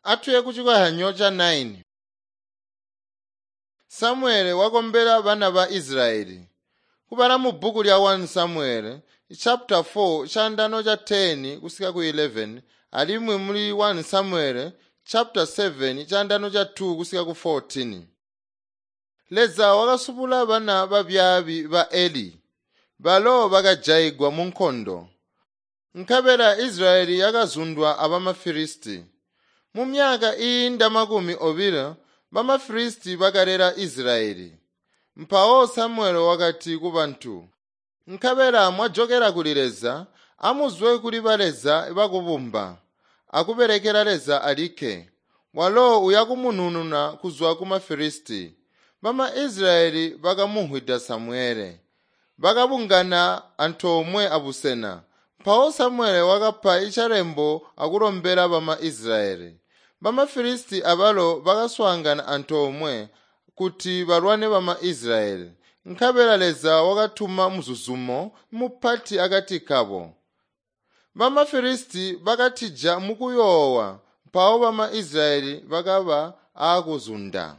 Atuye kucikozyanyo ca 9. Samuele wakombela bana ba Israyeli. Kubala mu bbuku lya 1 Samuele chapter 4 chandano cha 10 kusika ku 11 alimwi muli 1 Samuele chapter 7 chandano cha 2 kusika ku 14. Leza wakasubula bana babyaabi ba Eli balo bakajayigwa mu nkondo. Nkabela Israyeli yakazundwa abamaFilisti. Mu myaka iinda 20 bamaFilisti bakalela Israyeli. Mpawo Samuele wakati kubantu, “Nkabela mwajokela kuli Leza, amuzwe kuli baleza bakubumba, akubelekela Leza alikke. Walo uyakumunununa kuzwa ku maFilisti.” BamaIsrayeli bakamumvwida Samuele. Bakabungana antoomwe abusena. Mpawo Samuele wakapa icalembo akulombela bamaIsrayeli. BamaFilisti abalo bakaswaangana antoomwe kuti balwane bamaIsrayeli. Nkabela Leza wakatuma muzuzumo mupati akati kabo. BamaFilisti bakatija mukuyoowa, mpawo bamaIsrayeli bakaba aakuzunda.